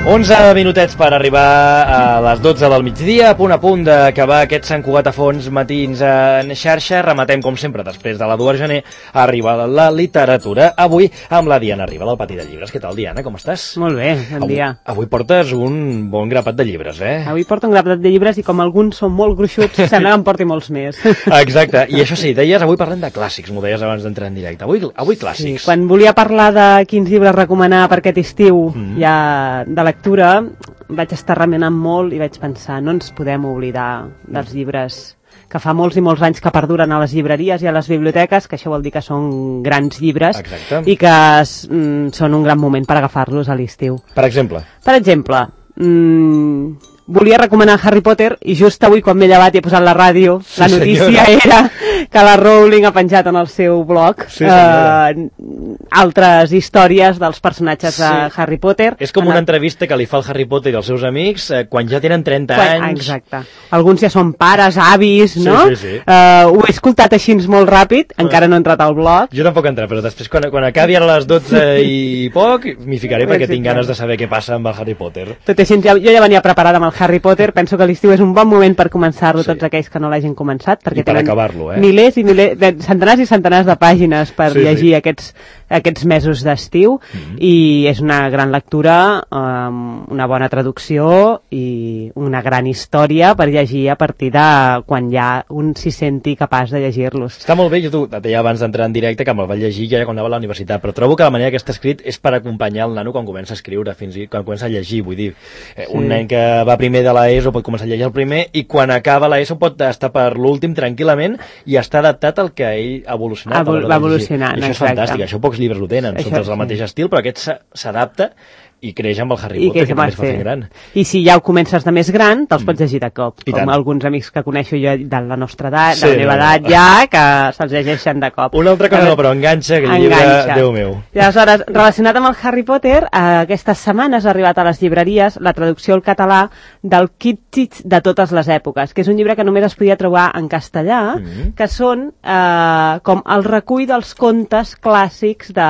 11 minutets per arribar a les 12 del migdia, a punt d'acabar aquest Sant Cugat a fons matins en xarxa. Rematem, com sempre, després de la 2 de gener, arriba la literatura. Avui amb la Diana Riba, del Pati de Llibres. Què tal, Diana? Com estàs? Molt bé, bon dia. Avui portes un bon grapat de llibres, eh? Avui porto un grapat de llibres i com alguns són molt gruixuts, sembla que en porti molts més. Exacte, i això sí, deies, avui parlem de clàssics, m'ho deies abans d'entrar en directe. Avui clàssics. Sí, quan volia parlar de quins llibres recomanar per aquest estiu, ja de lectura, vaig estar remenant molt i vaig pensar, no ens podem oblidar dels llibres que fa molts i molts anys que perduren a les llibreries i a les biblioteques, que això vol dir que són grans llibres. Exacte. I que són un gran moment per agafar-los a l'estiu. Per exemple? Per exemple, volia recomanar Harry Potter i just avui quan m'he llevat i he posat la ràdio, sí, la notícia era que la Rowling ha penjat en el seu blog altres històries dels personatges de Harry Potter. És com una entrevista que li fa el Harry Potter i els seus amics quan ja tenen 30 anys. Exacte. Alguns ja són pares, avis, no? Sí. Ho he escoltat així molt ràpid, encara no he entrat al blog. Jo tampoc he entrat, però després quan acabi a les 12 i poc m'hi ficaré perquè tinc ganes de saber què passa amb el Harry Potter. Tot així, jo ja venia preparada amb el Harry Potter, penso que l'estiu és un bon moment per començar-lo, tots aquells que no l'hagin començat, perquè i per acabar-lo, milers i milers, centenars i centenars de pàgines per llegir aquests mesos d'estiu, i és una gran lectura, una bona traducció i una gran història per llegir a partir de quan ja un s'hi senti capaç de llegir-los. Està molt bé, jo et deia abans d'entrar en directe que me'l vaig llegir ja quan anava a la universitat, però trobo que la manera que està escrit és per acompanyar el nano quan comença a escriure, fins i quan comença a llegir, vull dir, un nen que va primer de l'ESO pot començar a llegir el primer i quan acaba l'ESO pot estar per l'últim tranquil·lament i està adaptat al que ell ha evolucionat. Va evolucionant, això és fantàstic, això pocs llibres ho tenen, són tots del mateix estil, però aquest s'adapta i creix amb el Harry Potter, que també es fa fent gran. I si ja ho comences de més gran, te'ls pots llegir de cop, com alguns amics que coneixo jo de la nostra edat, de la meva edat ja, que se'ls llegeixen de cop. Una altra cosa no, però enganxa, que llibre, Déu meu. I aleshores, relacionat amb el Harry Potter, aquestes setmanes ha arribat a les llibreries la traducció al català del Kitschitz de totes les èpoques, que és un llibre que només es podia trobar en castellà, que són com el recull dels contes clàssics de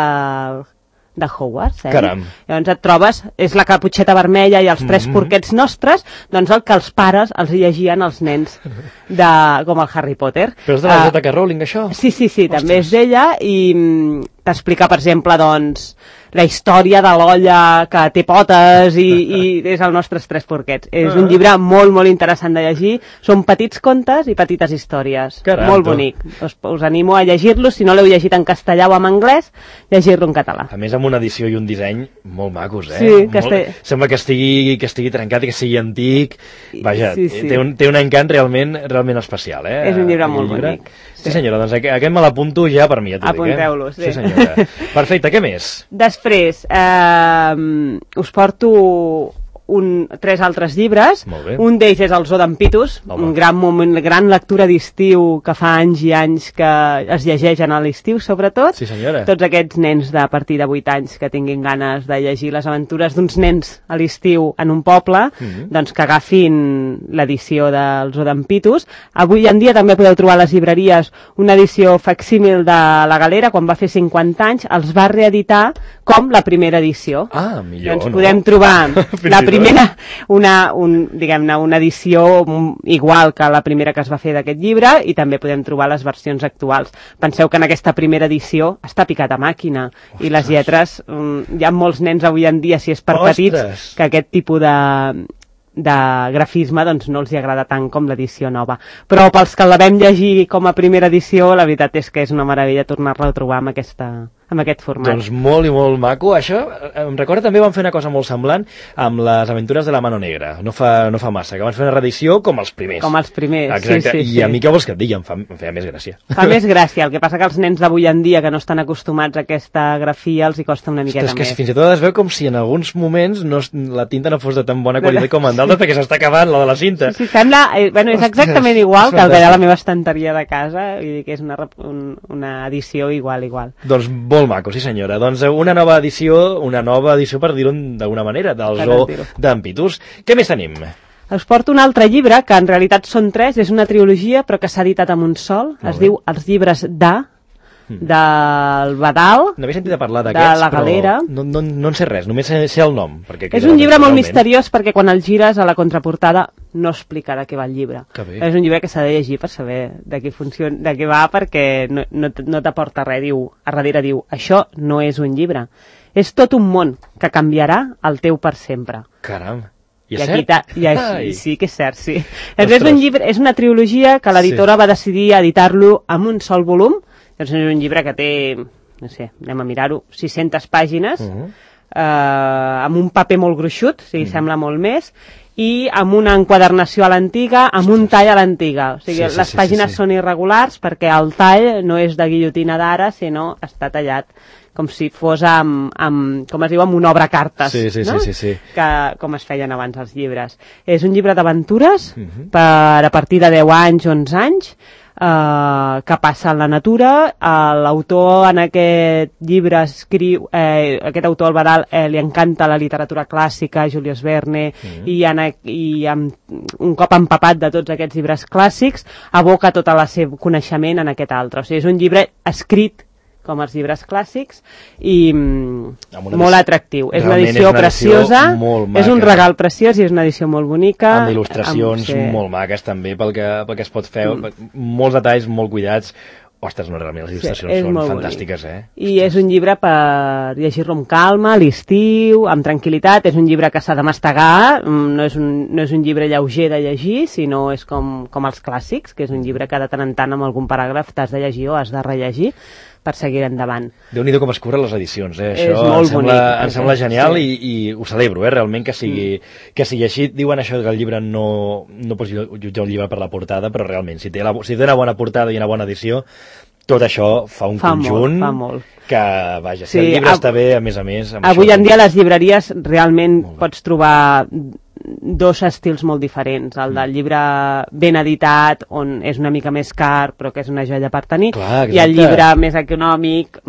Hogwarts, Caram. Llavors et trobes, és la Caputxeta Vermella i els Tres Porquets Nostres, doncs el que els pares els llegien als nens com el Harry Potter. Però és de la J.K. Rowling, això? Sí, també és d'ella i t'explica, per exemple, doncs, la història de l'olla que té potes i és el nostres Tres Porquets. És un llibre molt, molt interessant de llegir. Són petits contes i petites històries. Caram, molt bonic. Us animo a llegir-los. Si no l'heu llegit en castellà o en anglès, llegir-lo en català. A més, amb una edició i un disseny molt macos, eh? Sí, sembla que estigui trencat i que sigui antic. Vaja, té un encant realment especial, eh? És un llibre molt bonic. Sí, senyora, doncs aquest me l'apunto ja per mi, ja t'ho dic, Apunteu-lo, sí. Sí, senyora. Perfecte, què més? Després, us porto tres altres llibres. Un d'ells és el Zoo d'en Pitus, un gran lectura d'estiu que fa anys i anys que es llegeixen a l'estiu, sobretot. Sí, senyora. Tots aquests nens de a partir de 8 anys que tinguin ganes de llegir les aventures d'uns nens a l'estiu en un poble, doncs que agafin l'edició del Zoo d'en Pitus. Avui en dia també podeu trobar a les llibreries una edició facsímil de La Galera, quan va fer 50 anys, els va reeditar com la primera edició. Ah, millor, doncs podem trobar la primera, una edició igual que la primera que es va fer d'aquest llibre, i també podem trobar les versions actuals. Penseu que en aquesta primera edició està picat a màquina. Ostres. I les lletres, hi ha molts nens avui en dia, si és per petits, que aquest tipus de grafisme doncs no els hi agrada tant com l'edició nova. Però pels que la vam llegir com a primera edició, la veritat és que és una meravella tornar-la a trobar amb aquest format. Doncs molt i molt maco. Això em recorda també van fer una cosa molt semblant amb les aventures de la Mano Negra. No fa massa, que van fer una reedició com els primers. Com els primers, exacte. Sí. I a mi què vols que et digui? Em feia més gràcia. Fa més gràcia, el que passa que els nens d'avui en dia que no estan acostumats a aquesta grafia els hi costa una miqueta més. És que fins i tot es veu com si en alguns moments la tinta no fos de tan bona qualitat com en d'altres, perquè s'està acabant la de la cinta. Sí, sembla, és exactament igual que el que hi ha a la meva estanteria de casa, i que és una edició igual. Doncs molt maco, sí senyora. Doncs una nova edició per dir-ho d'alguna manera, del Zoo d'en Pitus. Què més tenim? Us porto un altre llibre, que en realitat són 3, és una trilogia, però que s'ha editat amb un sol. Es diu Els llibres d'A, del Badal, no havia sentit a parlar d'aquests, de la Galera. Però no en sé res, només sé el nom. És un llibre molt misteriós perquè quan el gires a la contraportada no explica de què va el llibre. És un llibre que s'ha de llegir per saber de què va, perquè no t'aporta res. A darrere diu, això no és un llibre. És tot un món que canviarà el teu per sempre. Caram. I és cert? Sí que és cert, sí. És una trilogia que l'editora va decidir editar-lo amb un sol volum. És un llibre que té, no sé, anem a mirar-ho, 600 pàgines, amb un paper molt gruixut, o sigui, sembla molt més, i amb una enquadernació a l'antiga, amb un tall a l'antiga. O sigui, les pàgines són irregulars perquè el tall no és de guillotina d'ara, sinó està tallat com si fos com es diu, amb un obra-cartes, no? Sí. Com es feien abans els llibres. És un llibre d'aventures per a partir de 10 anys, 11 anys, que passa en la natura. L'autor en aquest llibre escriu, aquest autor, el Badal, li encanta la literatura clàssica, Julius Verne, i un cop empapat de tots aquests llibres clàssics, aboca tot el seu coneixement en aquest altre. O sigui, és un llibre escrit com els llibres clàssics i molt atractiu. És una edició preciosa, és un regal preciós i és una edició molt bonica. Amb il·lustracions molt maques també pel que es pot fer, molts detalls molt cuidats. Ostres, no, realment les il·lustracions són fantàstiques, I és un llibre per llegir-lo amb calma, a l'estiu, amb tranquil·litat. És un llibre que s'ha de mastegar, no és un llibre lleuger de llegir, sinó és com els clàssics, que és un llibre que de tant en tant amb algun paràgraf t'has de llegir o has de rellegir per seguir endavant. Déu-n'hi-do com es curren les edicions, Això em sembla genial i ho celebro, realment que sigui així. Diuen això que el llibre no pots jutjar un llibre per la portada, però realment, si té una bona portada i una bona edició, tot això fa un conjunt que, vaja, si el llibre està bé, a més, avui en dia a les llibreries realment pots trobar dos estils molt diferents, el del llibre ben editat, on és una mica més car però que és una joia per tenir, i el llibre més econòmic,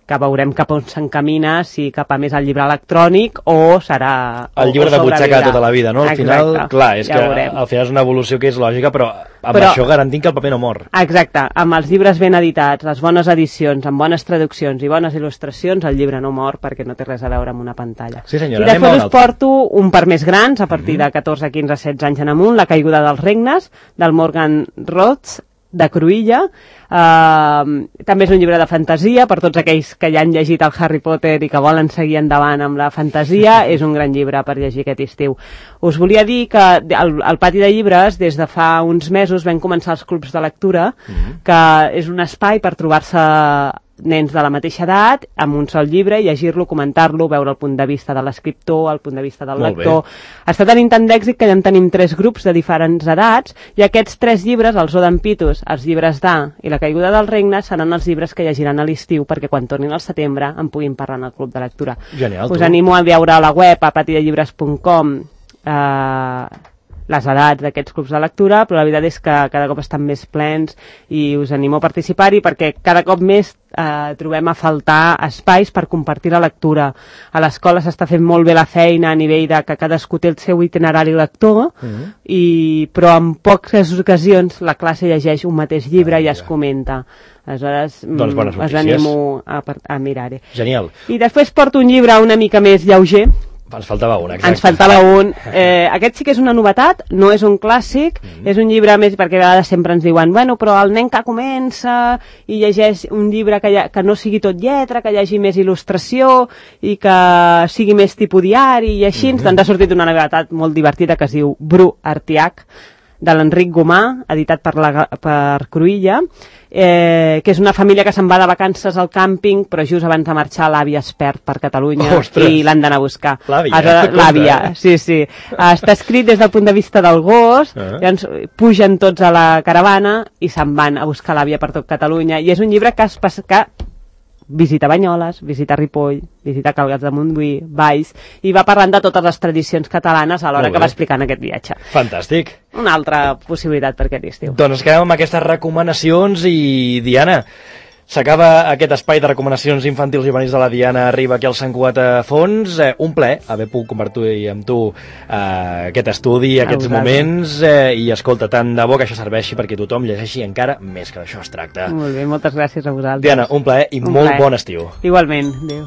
que veurem cap on s'encamina, si cap a més el llibre electrònic o serà... El llibre de butxaca tota la vida, no? Al final, clar, és que al final és una evolució que és lògica, però això garantint que el paper no mor. Exacte, amb els llibres ben editats, les bones edicions, amb bones traduccions i bones il·lustracions, el llibre no mor perquè no té res a veure amb una pantalla. Sí, senyora, i després us porto un per més grans, a partir de 14, 15, 16 anys en amunt, La caiguda dels regnes, del Morgan Rhodes, de Cruïlla. També és un llibre de fantasia per tots aquells que ja han llegit el Harry Potter i que volen seguir endavant amb la fantasia. És un gran llibre per llegir aquest estiu. Us volia dir que al Pati de Llibres des de fa uns mesos vam començar els clubs de lectura, que és un espai per trobar-se nens de la mateixa edat, amb un sol llibre, llegir-lo, comentar-lo, veure el punt de vista de l'escriptor, el punt de vista del lector. Està tenint tant d'èxit que ja en tenim 3 grups de diferents edats, i aquests 3 llibres, els Odem Pitus, els llibres d'A i La caiguda del regne, seran els llibres que llegiran a l'estiu perquè quan tornin al setembre en puguin parlar en el club de lectura. Genial, us animo a veure a la web, a patidellibres.com, les edats d'aquests clubs de lectura, però la veritat és que cada cop estan més plens i us animo a participar-hi perquè cada cop més trobem a faltar espais per compartir la lectura. A l'escola s'està fent molt bé la feina a nivell de que cadascú té el seu itinerari lector, però en poques ocasions la classe llegeix un mateix llibre i es comenta. Aleshores, us animo a mirar-hi. Genial. I després porto un llibre una mica més lleuger. Ens faltava un, exacte. Ens faltava un. Aquest sí que és una novetat, no és un clàssic, és un llibre més, perquè a vegades sempre ens diuen, bueno, però el nen que comença i llegeix un llibre que no sigui tot lletra, que hi hagi més il·lustració i que sigui més tipus diari i així, doncs ha sortit una novetat molt divertida que es diu Bru Artiach, de l'Enric Gomà, editat per Cruïlla, que és una família que se'n va de vacances al càmping, però just abans de marxar l'àvia es perd per Catalunya. Ostres. I l'han d'anar a buscar. L'àvia, sí. Està escrit des del punt de vista del gos, llavors pugen tots a la caravana i se'n van a buscar l'àvia per tot Catalunya, i és un llibre que visita Banyoles, visita Ripoll, visita Caldes de Montbui, Valls, i va parlant de totes les tradicions catalanes a l'hora que va explicant aquest viatge. Fantàstic. Una altra possibilitat per aquest estiu. Doncs quedem amb aquestes recomanacions i, Diana, S'acaba aquest espai de recomanacions infantils i juvenils de la Diana Riba aquí al Sant Cugat a Fons. Un plaer haver pogut compartir amb tu aquest estudi, aquests moments, i escolta, tant de bo que això serveixi perquè tothom llegeixi encara més, que d'això es tracta. Molt bé, moltes gràcies a vosaltres. Diana, un plaer i molt bon estiu. Igualment, adéu.